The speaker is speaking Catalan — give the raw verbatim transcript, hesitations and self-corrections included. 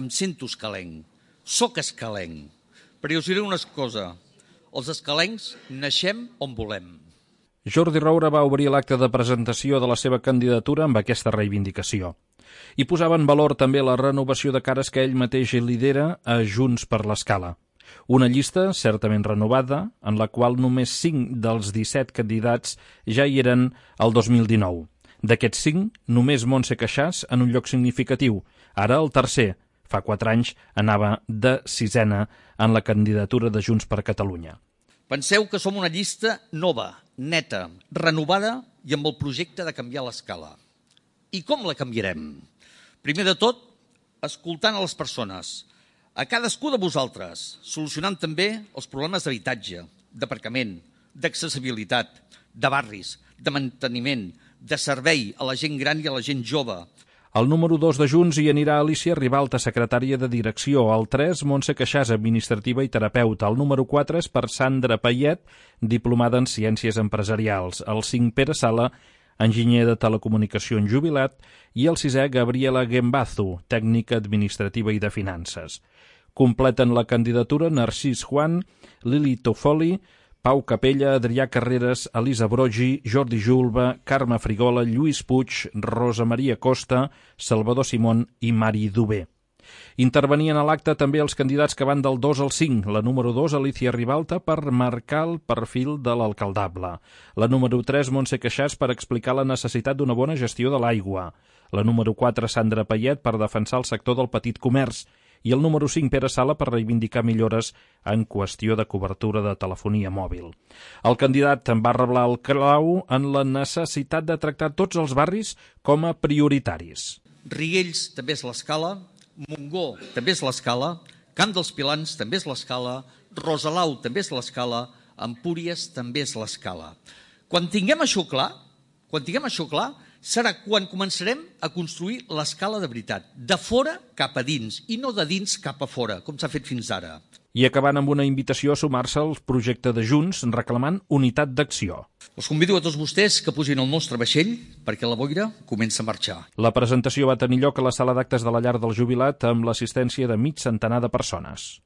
em sento escalenc, soc escalenc. Però us diré una cosa, els escalencs naixem on volem. Jordi Roura va obrir l'acte de presentació de la seva candidatura amb aquesta reivindicació. I posava en valor també la renovació de cares que ell mateix lidera a Junts per l'Escala. Una llista certament renovada, en la qual només cinc dels disset candidats ja hi eren el dos mil dinou. D'aquests cinc, només Montse Queixàs en un lloc significatiu. Ara el tercer, fa quatre anys, anava de sisena en la candidatura de Junts per Catalunya. Penseu que som una llista nova, neta, renovada i amb el projecte de canviar l'escala. I com la canviarem? Primer de tot, escoltant a les persones, a cadascú de vosaltres, solucionant també els problemes d'habitatge, d'aparcament, d'accessibilitat, de barris, de manteniment, de servei a la gent gran i a la gent jove. El número dos de Junts hi anirà Alicia Ribalta, secretària de direcció. El tres, Montse Queixàs, administrativa i terapeuta. El número quatre és per Sandra Payet, diplomada en Ciències Empresarials. El cinc, Pere Sala, enginyer de telecomunicacions jubilat. I el sisè, Gabriela Gembazu, tècnica administrativa i de finances. Completen la candidatura Narcís Juan, Lili Toffoli, Pau Capella, Adrià Carreras, Elisa Brogi, Jordi Julba, Carme Frigola, Lluís Puig, Rosa Maria Costa, Salvador Simón i Mari Dubé. Intervenien a l'acte també els candidats que van del dos al cinc. La número dos, Alicia Ribalta, per marcar el perfil de l'alcaldable. La número tres, Montse Queixàs, per explicar la necessitat d'una bona gestió de l'aigua. La número quatre, Sandra Payet, per defensar el sector del petit comerç. I el número cinc, Pere Sala, per reivindicar millores en qüestió de cobertura de telefonia mòbil. El candidat va reblar el clau en la necessitat de tractar tots els barris com a prioritaris. Riells també és l'escala, Montgó també és l'escala, Camp dels Pilans també és l'escala, Rosalau també és l'escala, Empúries també és l'escala. Quan tinguem això clar, quan tinguem això clar, serà quan començarem a construir l'escala de veritat, de fora cap a dins i no de dins cap a fora, com s'ha fet fins ara. I acabant amb una invitació a sumar-se al projecte de Junts reclamant unitat d'acció. Us convido a tots vostès que pugin al nostre vaixell perquè la boira comença a marxar. La presentació va tenir lloc a la sala d'actes de la Llar del Jubilat amb l'assistència de mig centenar de persones.